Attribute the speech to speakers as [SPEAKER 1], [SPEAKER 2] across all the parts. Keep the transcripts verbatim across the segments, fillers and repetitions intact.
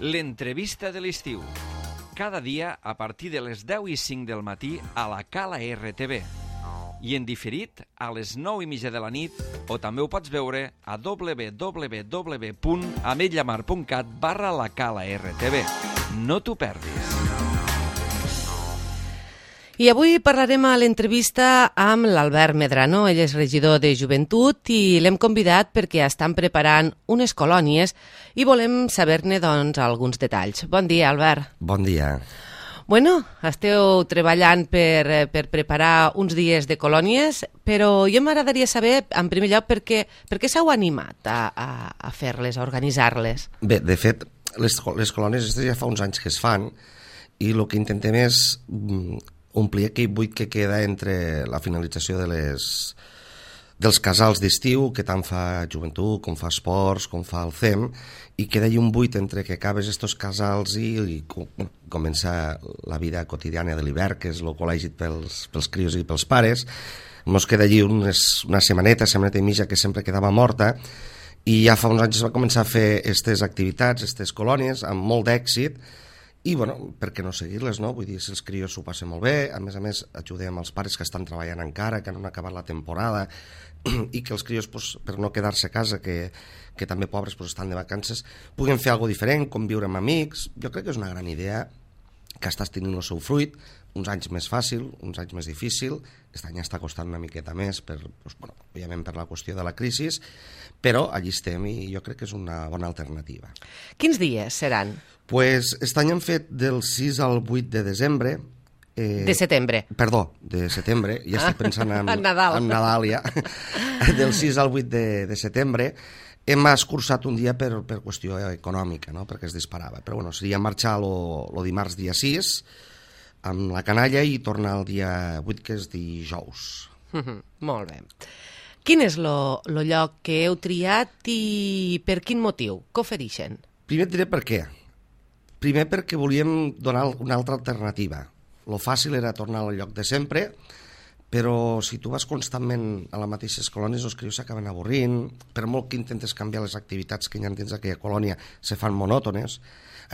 [SPEAKER 1] L'entrevista de l'estiu. Cada dia a partir de les deu i cinc del matí a la Cala R T V. I en diferit a les nou i mitja de la nit, o també ho pots veure a w w w punt ametlla mar punt cat barra la Cala R T V. No t'ho perdis.
[SPEAKER 2] I avui parlarem a l'entrevista amb l'Albert Medrano. Ell és regidor de Joventut i l'hem convidat perquè estan preparant unes colònies i volem saber-ne, doncs, alguns detalls. Bon dia, Albert.
[SPEAKER 3] Bon dia.
[SPEAKER 2] Bueno, esteu treballant per, per preparar uns dies de colònies, però jo m'agradaria saber, en primer lloc, per què, per què s'heu animat a, a, a fer-les, a organitzar-les?
[SPEAKER 3] Bé, de fet, les, les colònies ja fa uns anys que es fan i el que intentem és omplir aquell buit que queda entre la finalització de les, dels casals d'estiu, que tant fa Joventut, com fa Esports, com fa el C E M, i queda allà un buit entre que acabes estos casals i, i comença la vida quotidiana de l'hivern, que és el col·legi pels, pels crios i pels pares. Ens queda allí unes, una setmaneta, setmaneta i mitja, que sempre quedava morta, i ja fa uns anys es va començar a fer aquestes activitats, aquestes colònies, amb molt d'èxit. I, bueno, per què no seguir-les, no? Vull dir, si els crios s'ho passen molt bé, a més a més ajudem els pares que estan treballant encara, que no han acabat la temporada, i que els crios, pues, per no quedar-se a casa, que, que també pobres pues, estan de vacances, puguen fer alguna diferent, conviure amb amics. Jo crec que és una gran idea, que estàs tenint el seu fruit, uns anys més fàcil, uns anys més difícil, aquest any està costant una miqueta més, per, pues, bueno, òbviament per la qüestió de la crisi, però allí estem i jo crec que és una bona alternativa.
[SPEAKER 2] Quins dies seran?
[SPEAKER 3] Pues, aquest any hem fet del sis al vuit de desembre.
[SPEAKER 2] Eh, de setembre.
[SPEAKER 3] Perdó, de setembre. Ja estic pensant en,
[SPEAKER 2] en Nadal.
[SPEAKER 3] En Nadal ja. Del sis al vuit de, de setembre. Hem escurçat un dia per, per qüestió econòmica, no? Perquè es disparava. Però bueno, seria marxar el dimarts dia sis amb la canalla i tornar el dia vuit, que és dijous.
[SPEAKER 2] Mm-hmm, molt bé. Quin és el lloc que heu triat i per quin motiu? Què ofereixen?
[SPEAKER 3] Primer et diré per què. Primer perquè volíem donar una altra alternativa. Lo fàcil era tornar al lloc de sempre, però si tu vas constantment a les mateixes colònies, els crios s'acaben avorrint, per molt que intentes canviar les activitats que ja tens a aquella colònia, se fan monòtones,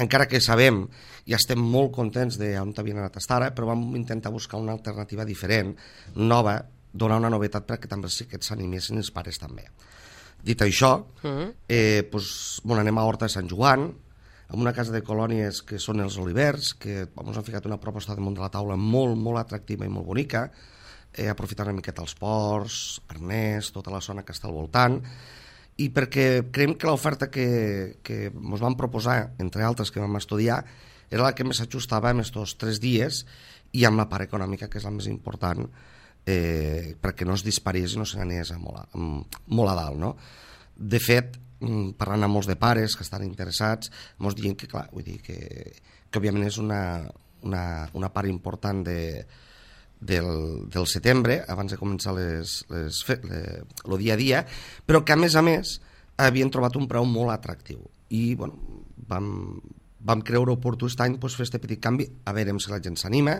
[SPEAKER 3] encara que sabem i estem molt contents d'on havien anat a estar, però vam intentar buscar una alternativa diferent, nova, donar una novetat perquè també sí que s'animessin els pares també. Dit això, eh, doncs, bueno, anem a Horta de Sant Joan, amb una casa de colònies que són els Olivers, que ens han ficat una proposta damunt de la taula molt, molt atractiva i molt bonica, eh, aprofitant una miqueta els ports, Arnès, tota la zona que està al voltant, i perquè creiem que l'oferta que, que ens van proposar, entre altres que vam estudiar, era la que més s'ajustava en aquests tres dies i amb la part econòmica, que és la més important, eh, perquè no es disparés i no se n'anés molt, a, molt a dalt, no? De fet, parlant amb molts de pares que estan interessats, ens diuen que, clar, vull dir que, que òbviament és una, una, una part important de, del, del setembre, abans de començar les, les, el dia a dia, però que a més a més havien trobat un preu molt atractiu. I bueno, vam, vam creure oportú aquest any doncs, fer aquest petit canvi, a veure si la gent s'anima,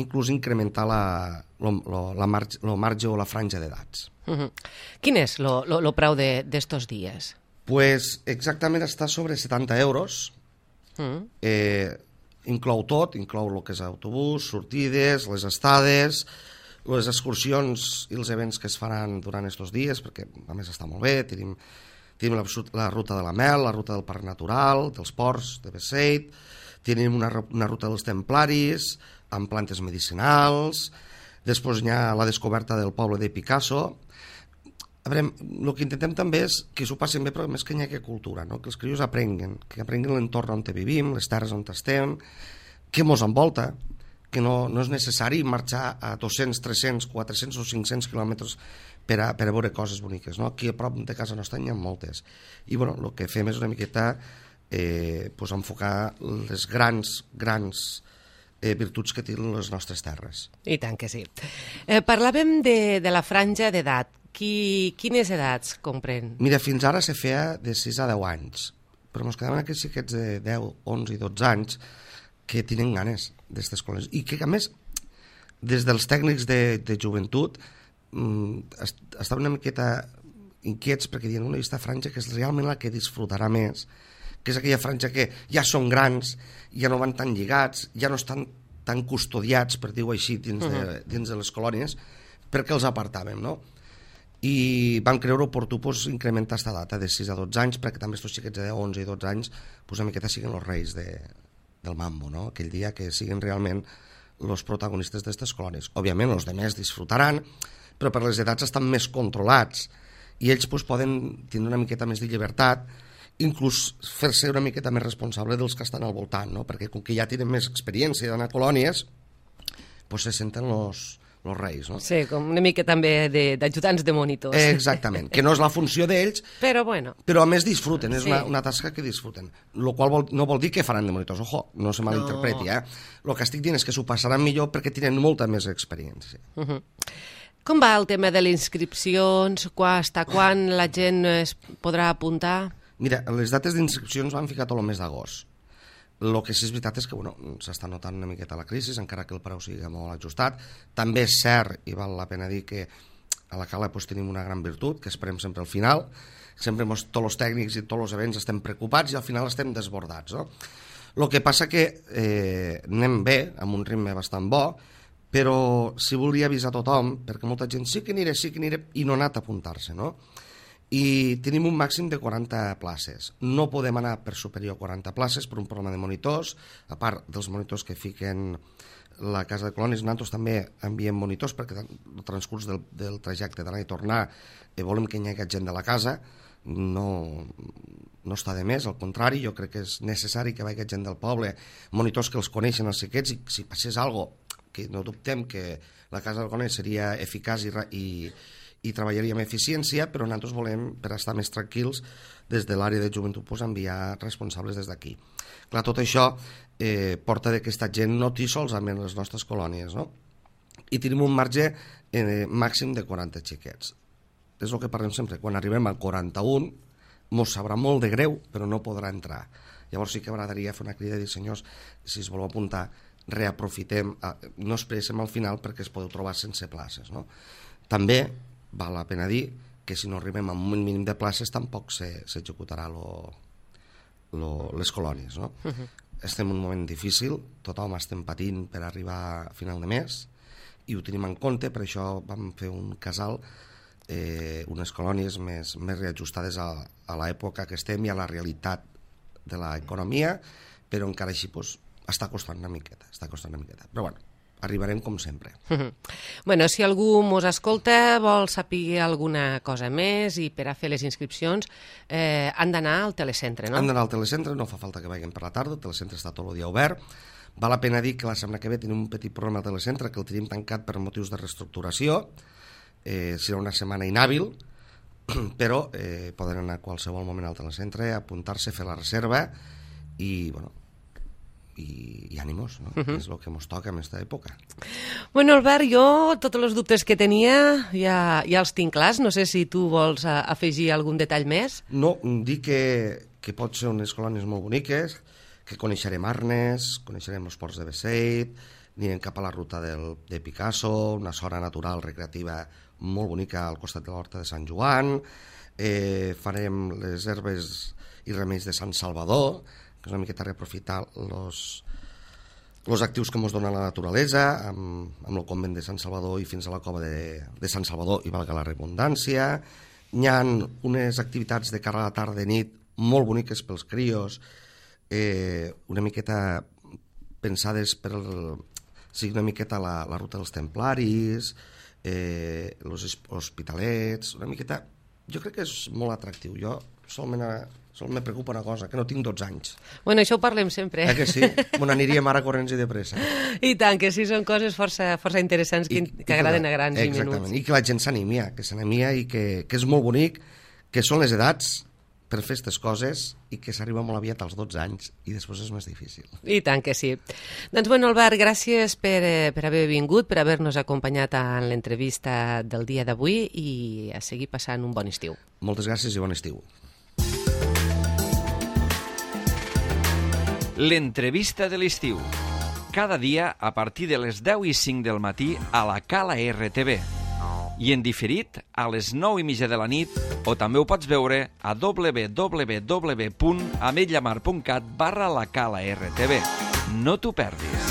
[SPEAKER 3] inclús incrementar la, lo, lo, la marge, lo marge o la franja d'edats.
[SPEAKER 2] Uh-huh. Quin és el preu d'estos dies?
[SPEAKER 3] Pues exactament està sobre setanta euros, mm. eh, inclou tot, inclou el que és autobús, sortides, les estades, les excursions i els events que es faran durant aquests dies, perquè a més està molt bé, tenim, tenim la, la ruta de la Mel, la ruta del Parc Natural, dels Ports, de Besseit, tenim una, una ruta dels Templaris, amb plantes medicinals, després hi ha la descoberta del poble de Picasso. A veure, el que intentem també és que s'ho passin bé, però més que hi hagi cultura, no? Que els crios aprenguen, que aprenguin l'entorn on vivim, les terres on estem, què mos envolta, que no, no és necessari marxar a dos-cents, tres-cents, quatre-cents o cinc-cents quilòmetres per a, per a veure coses boniques, no? Aquí a prop de casa nostra n'hi ha moltes. I bueno, el que fem és una miqueta eh, pues enfocar les grans, grans eh, virtuts que tenen les nostres terres.
[SPEAKER 2] I tant que sí. Eh, parlàvem de, de la franja d'edat. Qui, quines edats comprèn?
[SPEAKER 3] Mira, fins ara se feia de sis a deu anys, però ens quedaven aquests xiquets de deu, onze i dotze anys que tenen ganes d'aquestes coses. I que, a més, des dels tècnics de, de joventut mm, estaven una miqueta inquiets perquè diuen una vista franja que és realment la que disfrutarà més, que és aquella franja que ja són grans, ja no van tan lligats, ja no estan tan custodiats, per dir-ho així, dins, uh-huh. de, dins de les colònies, perquè els apartàvem, no? I vam creure oportú pues, incrementar aquesta data de sis a dotze anys, perquè també aquests xiquets de onze i dotze anys pues, una miqueta siguin els reis de, del mambo, no? Aquell dia que siguin realment els protagonistes d'aquestes colònies. Òbviament, els demés disfrutaran, però per les edats estan més controlats i ells pues, poden tindre una miqueta més de llibertat, inclús fer-se una miqueta més responsable dels que estan al voltant, no? Perquè com que ja tenen més experiència d'anar a colònies, pues, se senten els els reis, no?
[SPEAKER 2] Sí, com una mica també d'ajudants de, de monitors.
[SPEAKER 3] Exactament, que no és la funció d'ells,
[SPEAKER 2] però bueno.
[SPEAKER 3] Però a més disfruten, és
[SPEAKER 2] sí.
[SPEAKER 3] una, una tasca que disfruten. Lo qual vol, no vol dir que faran de monitors, ojo, no se malinterpreti, no. eh? El que estic dient és que s'ho passaran millor perquè tenen molta més experiència.
[SPEAKER 2] Uh-huh. Com va el tema de les inscripcions? Hasta quan la gent es podrà apuntar?
[SPEAKER 3] Mira, les dates d'inscripcions van ficar tot el mes d'agost. El que sí és veritat és que bueno, s'està notant una miqueta la crisi, encara que el preu sigui molt ajustat. També és cert, i val la pena dir, que a la Cala pues, tenim una gran virtut, que esperem sempre al final. Sempre mos, tots els tècnics i tots els events estem preocupats i al final estem desbordats. No? El que passa que eh, anem bé, amb un ritme bastant bo, però si volia avisar tothom, perquè molta gent sí que aniré, sí que aniré, i no ha anat a apuntar-se, no? I tenim un màxim de quaranta places. No podem anar per superior a quaranta places per un problema de monitors, a part dels monitors que fiquen la Casa de Colònies, nosaltres també enviem monitors perquè el transcurs del, del trajecte d'anar i tornar eh, volem que hi hagi gent de la casa, no, no està de més, al contrari, jo crec que és necessari que vagi gent del poble, monitors que els coneixen els xiquets, i si passés alguna cosa, que no dubtem que la Casa de Colònies seria eficaç i, i i treballaria amb eficiència, però nosaltres volem, per estar més tranquils, des de l'àrea de joventut, pues, enviar responsables des d'aquí. Clar, tot això eh, porta que aquesta gent no t'hi solament les nostres colònies, no? I tenim un marge eh, màxim de quaranta xiquets. És el que parlem sempre, quan arribem al quaranta-un, mos sabrà molt de greu, però no podrà entrar. Llavors sí que m'agradaria fer una crida i dir, senyors, si es voleu apuntar, reaprofitem, no esperem al final perquè es podeu trobar sense places, no? També val la pena dir que si no arribem a un mínim de places tampoc s'executarà les colònies, no? Uh-huh. Estem en un moment difícil, tothom estem patint per arribar a final de mes i ho tenim en compte, per això vam fer un casal, eh, unes colònies més, més reajustades a, a l'època que estem i a la realitat de l'economia, però encara així pues, està costant una miqueta, està costant una miqueta. Però bueno, arribarem com sempre.
[SPEAKER 2] Uh-huh. Bueno, si algú mos escolta, vol saber alguna cosa més i per a fer les inscripcions eh, han d'anar al telecentre, no?
[SPEAKER 3] Han d'anar al telecentre, no fa falta que vagin per la tarda, el telecentre està tot el dia obert. Val la pena dir que la setmana que ve tenim un petit problema al telecentre que el tenim tancat per motius de reestructuració, eh, serà una setmana inhàbil, però eh, poden anar a qualsevol moment al telecentre, apuntar-se, fer la reserva i, bueno, i, i ànimos, no? Uh-huh. És el que ens toca en aquesta època.
[SPEAKER 2] Bueno, Albert, jo tots els dubtes que tenia ja, ja els tinc clars. No sé si tu vols a, afegir algun detall més.
[SPEAKER 3] No, dir que, que pot ser unes colònies molt boniques, que coneixerem Arnes, coneixerem els ports de Beseit, anirem cap a la ruta del, de Picasso, una zona natural recreativa molt bonica al costat de l'Horta de Sant Joan, eh, farem les herbes i remeis de Sant Salvador, que és una miqueta reaprofitar els actius que ens dona la naturalesa, amb, amb el convent de Sant Salvador i fins a la cova de, de Sant Salvador, i valga la redundància. Hi ha unes activitats de cara a la tarda i nit molt boniques pels crios, eh, una miqueta pensades per el, sigui una miqueta la, la ruta dels templaris, eh, els hospitalets, una miqueta... Jo crec que és molt atractiu. Jo solament... Sol me preocupa una cosa, que no tinc dotze anys.
[SPEAKER 2] Bueno, això ho parlem sempre.
[SPEAKER 3] Eh que sí? Me n'aniríem ara corrents i de pressa.
[SPEAKER 2] I tant, que sí, són coses força, força interessants que, I, que, que agraden a grans
[SPEAKER 3] exactament.
[SPEAKER 2] i menuts.
[SPEAKER 3] Exactament, i que la gent s'aнимia, que s'aнимia i que, que és molt bonic, que són les edats per fer aquestes coses i que s'arriba molt aviat als dotze anys i després és més difícil.
[SPEAKER 2] I tant que sí. Doncs, bueno, Albert, gràcies per, per haver vingut, per haver-nos acompanyat en l'entrevista del dia d'avui i a seguir passant un bon estiu.
[SPEAKER 3] Moltes gràcies i bon estiu.
[SPEAKER 1] L'entrevista de l'estiu. Cada dia a partir de les deu i cinc del matí a la Cala R T V. I en diferit a les nou i mitja de la nit o també ho pots veure a w w w punt ametlllamar punt cat barra la cala R T V. No t'ho perdis.